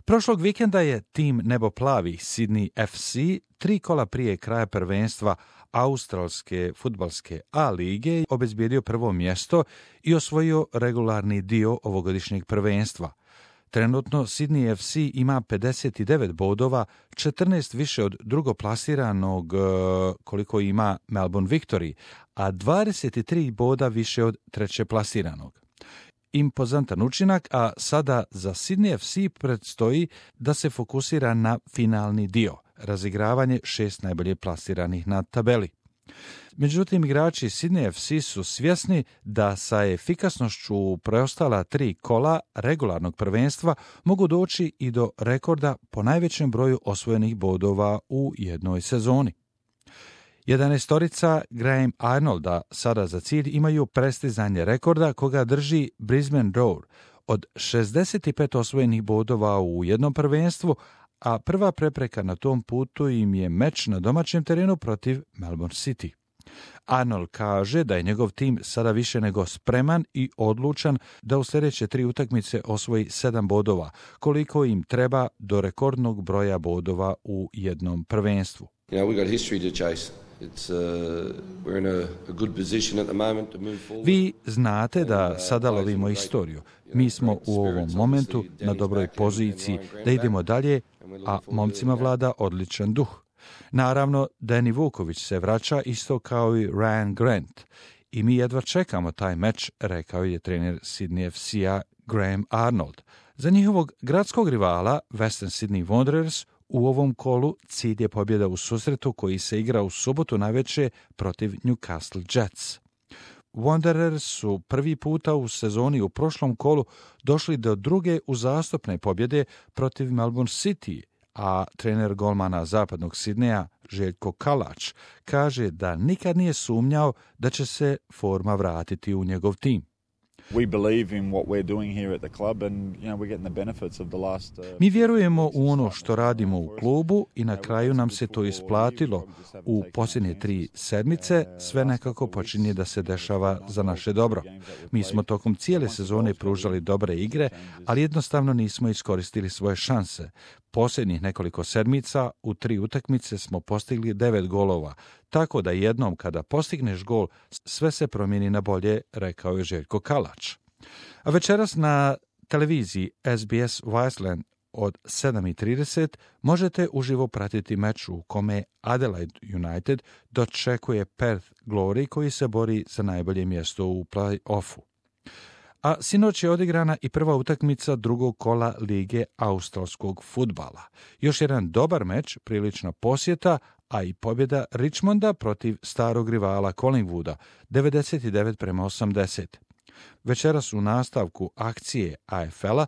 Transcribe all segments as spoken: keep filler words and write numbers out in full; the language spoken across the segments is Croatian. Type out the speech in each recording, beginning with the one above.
Prošlog vikenda je tim neboplavih Sydney F C tri kola prije kraja prvenstva australske fudbalske A lige obezbijedio prvo mjesto i osvojio regularni dio ovogodišnjeg prvenstva. Trenutno Sydney F C ima pedeset devet bodova, četrnaest više od drugoplasiranog koliko ima Melbourne Victory, a dvadeset tri boda više od trećeplasiranog. Impozantan učinak, a sada za Sydney F C predstoji da se fokusira na finalni dio, razigravanje šest najbolje plasiranih na tabeli. Međutim, igrači Sydney F C su svjesni da sa efikasnošću preostala tri kola regularnog prvenstva mogu doći i do rekorda po najvećem broju osvojenih bodova u jednoj sezoni. Jedanaestorica Graham Arnolda sada za cilj imaju prestizanje rekorda koga drži Brisbane Roar od šezdeset pet osvojenih bodova u jednom prvenstvu, a prva prepreka na tom putu im je meč na domaćem terenu protiv Melbourne City. Arnold kaže da je njegov tim sada više nego spreman i odlučan da u sljedeće tri utakmice osvoji sedam bodova, koliko im treba do rekordnog broja bodova u jednom prvenstvu. You know, we got history to chase. It's, uh, we're in a, a good position at the moment to move forward. Vi znate da sada lovimo istoriju. Mi smo u ovom momentu na dobroj poziciji da idemo dalje, a momcima vlada odličan duh. Naravno, Danny Vuković se vraća isto kao i Ryan Grant i mi jedva čekamo taj meč, rekao je trener Sydney F C-a Graham Arnold. Za njihovog gradskog rivala Western Sydney Wanderers u ovom kolu cilj je pobjeda u susretu koji se igra u subotu navečer protiv Newcastle Jets. Wanderers su prvi puta u sezoni u prošlom kolu došli do druge uzastopne pobjede protiv Melbourne City, a trener golmana zapadnog Sidneja Željko Kalač kaže da nikad nije sumnjao da će se forma vratiti u njegov tim. We believe in what we're doing here at the club and you know we're getting the benefits of the last uh... Mi vjerujemo u ono što radimo u klubu i na kraju nam se to isplatilo. U posljednje tri sedmice sve nekako počinje da se dešava za naše dobro. Mi smo tokom cijele sezone pružali dobre igre, ali jednostavno nismo iskoristili svoje šanse. Posljednjih nekoliko sedmica u tri utakmice smo postigli devet golova, tako da jednom kada postigneš gol sve se promijeni na bolje, rekao je Željko Kalač. A večeras na televiziji S B S Viceland od sedam i trideset možete uživo pratiti meč u kome Adelaide United dočekuje Perth Glory koji se bori za najbolje mjesto u play-offu. A sinoć je odigrana i prva utakmica drugog kola Lige australskog fudbala. Još jedan dobar meč, prilična posjeta, a i pobjeda Richmonda protiv starog rivala Collingwooda, devedeset devet prema osamdeset. Večeras u nastavku akcije A F L-a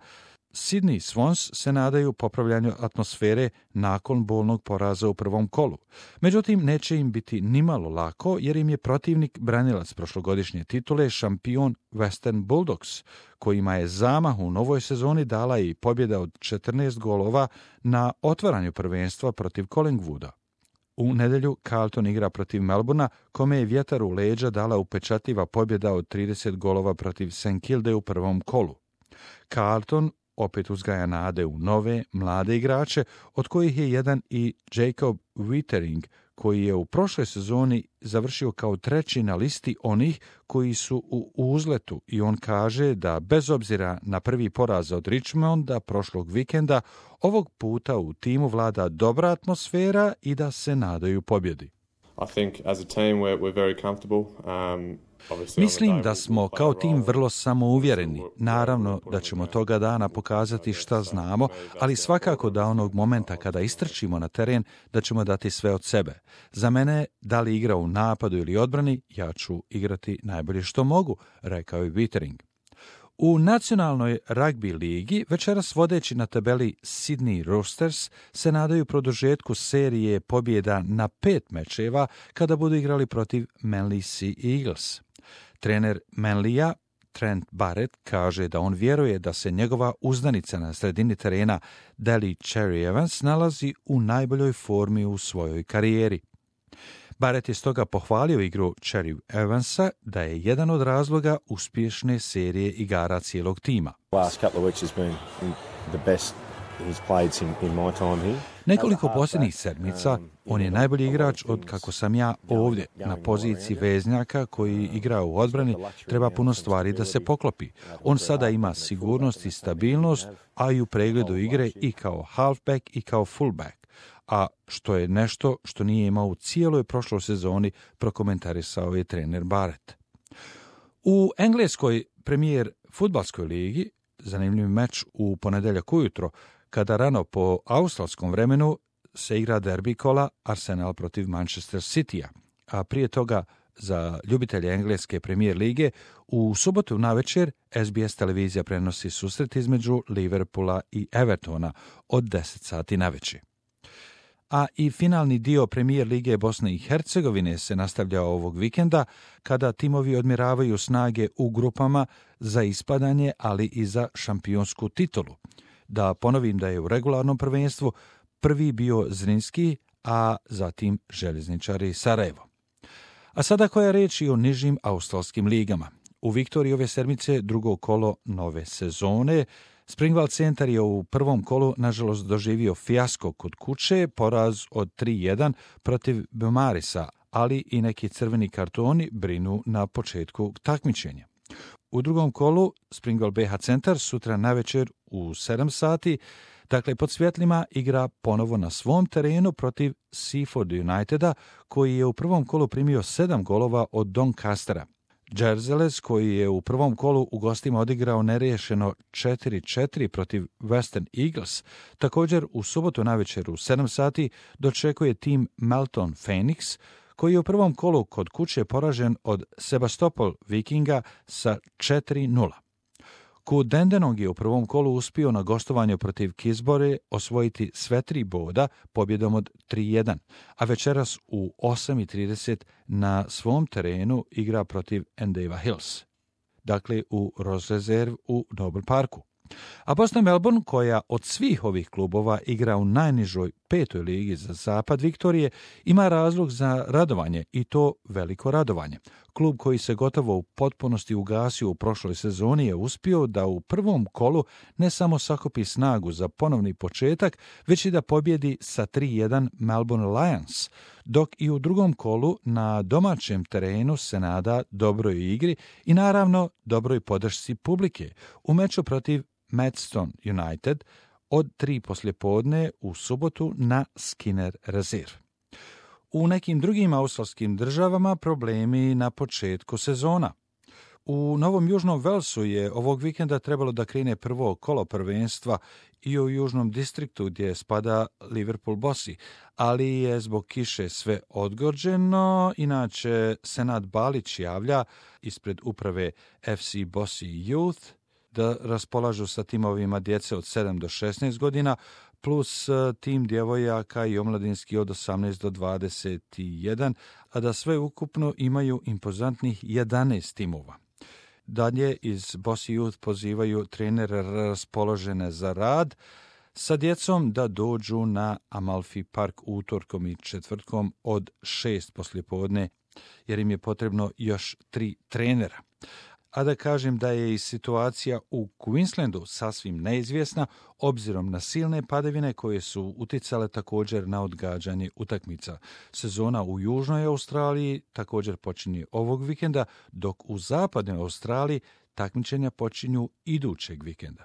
Sydney Swans se nadaju popravljanju atmosfere nakon bolnog poraza u prvom kolu. Međutim, neće im biti nimalo lako jer im je protivnik branilac prošlogodišnje titule šampion Western Bulldogs, kojima je zamah u novoj sezoni dala i pobjeda od četrnaest golova na otvaranju prvenstva protiv Collingwooda. U nedjelju Carlton igra protiv Melbourna, kome je vjetar u leđa dala upečatljiva pobjeda od trideset golova protiv St Kilde u prvom kolu. Carlton opet uzgaja nade u nove, mlade igrače, od kojih je jedan i Jacob Wittering, koji je u prošloj sezoni završio kao treći na listi onih koji su u uzletu i on kaže da bez obzira na prvi poraz od Richmonda prošlog vikenda, ovog puta u timu vlada dobra atmosfera i da se nadaju pobjedi. I think as a team we're, we're very comfortable. Um... Mislim da smo kao tim vrlo samouvjereni. Naravno da ćemo toga dana pokazati šta znamo, ali svakako da onog momenta kada istrčimo na teren da ćemo dati sve od sebe. Za mene, da li igra u napadu ili odbrani, ja ću igrati najbolje što mogu, rekao je Wittering. U nacionalnoj ragbi ligi večeras vodeći na tabeli Sydney Roosters se nadaju produžetku serije pobjeda na pet mečeva kada budu igrali protiv Manly Sea Eagles. Trener Manlija, Trent Barrett, kaže da on vjeruje da se njegova uzdanica na sredini terena Daly Cherry Evans nalazi u najboljoj formi u svojoj karijeri. Barrett je stoga pohvalio igru Cherry Evansa da je jedan od razloga uspješne serije igara cijelog tima. Last couple of weeks has been the best he's played in, in my time here. Nekoliko posljednjih sedmica on je najbolji igrač od kako sam ja ovdje. Na poziciji veznjaka koji igra u odbrani treba puno stvari da se poklopi. On sada ima sigurnost i stabilnost, a i u pregledu igre i kao halfback i kao fullback. A što je nešto što nije imao u cijeloj prošloj sezoni, prokomentarisao je trener Barrett. U engleskoj premijer fudbalskoj ligi zanimljiv meč u ponedjeljak ujutro, kada rano po australskom vremenu se igra derbi kola Arsenal protiv Manchester Citya, a prije toga za ljubitelje engleske premijer lige u subotu navečer S B S televizija prenosi susret između Liverpoola i Evertona od deset sati navečer. A i finalni dio premijer lige Bosne i Hercegovine se nastavlja ovog vikenda, kada timovi odmjeravaju snage u grupama za ispadanje, ali i za šampionsku titulu. Da ponovim da je u regularnom prvenstvu prvi bio Zrinski, a zatim Željezničari Sarajevo. A sada koja reč i o nižim australskim ligama. U Viktoriji ove sedmice drugo kolo nove sezone. Springvale Centar je u prvom kolu nažalost doživio fijasko kod kuće, poraz od tri jedan protiv Beaumarisa, ali i neki crveni kartoni brinu na početku takmičenja. U drugom kolu Springvale B H Centar sutra navečer u sedam sati, dakle pod svjetlima, igra ponovo na svom terenu protiv Seaford Uniteda, koji je u prvom kolu primio sedam golova od Doncastera. Jerzeles, koji je u prvom kolu u gostima odigrao neriješeno četiri četiri protiv Western Eagles, također u subotu navečer u sedam sati dočekuje tim Melton Phoenix, koji je u prvom kolu kod kuće poražen od Sebastopol Vikinga sa četiri nula. Ku Dandenong je u prvom kolu uspio na gostovanju protiv Kisbore osvojiti sve tri boda pobjedom od tri jedan, a večeras u osam i trideset na svom terenu igra protiv Endeavour Hills, dakle u Rose Reserve u Noble Parku. A Boston Melbourne, koja od svih ovih klubova igra u najnižoj petoj ligi za zapad Viktorije, ima razlog za radovanje, i to veliko radovanje. Klub koji se gotovo u potpunosti ugasio u prošloj sezoni je uspio da u prvom kolu ne samo sakupi snagu za ponovni početak, već i da pobjedi sa tri jedan Melbourne Lions, dok i u drugom kolu na domaćem terenu se nada dobroj igri i naravno dobroj podršci publike u meču protiv Maidstone United od tri poslijepodne u subotu na Skinner Reserve. U nekim drugim australskim državama problemi na početku sezona. U Novom Južnom Velsu je ovog vikenda trebalo da krene prvo kolo prvenstva i u Južnom distriktu gdje spada Liverpool Bosi, ali je zbog kiše sve odgođeno. Inače, Senad Balić javlja ispred uprave F C Bosi Youth da raspolažu sa timovima djece od sedam do šesnaest godina, plus tim djevojaka i omladinski od osamnaest do dvadeset jedan, a da sve ukupno imaju impozantnih jedanaest timova. Dalje iz Bosi Youth pozivaju trenere raspoložene za rad sa djecom da dođu na Amalfi Park utorkom i četvrtkom od šest poslijepodne, jer im je potrebno još tri trenera. A da kažem da je i situacija u Queenslandu sasvim neizvjesna, obzirom na silne padavine koje su uticale također na odgađanje utakmica. Sezona u Južnoj Australiji također počinje ovog vikenda, dok u Zapadnoj Australiji takmičenja počinju idućeg vikenda.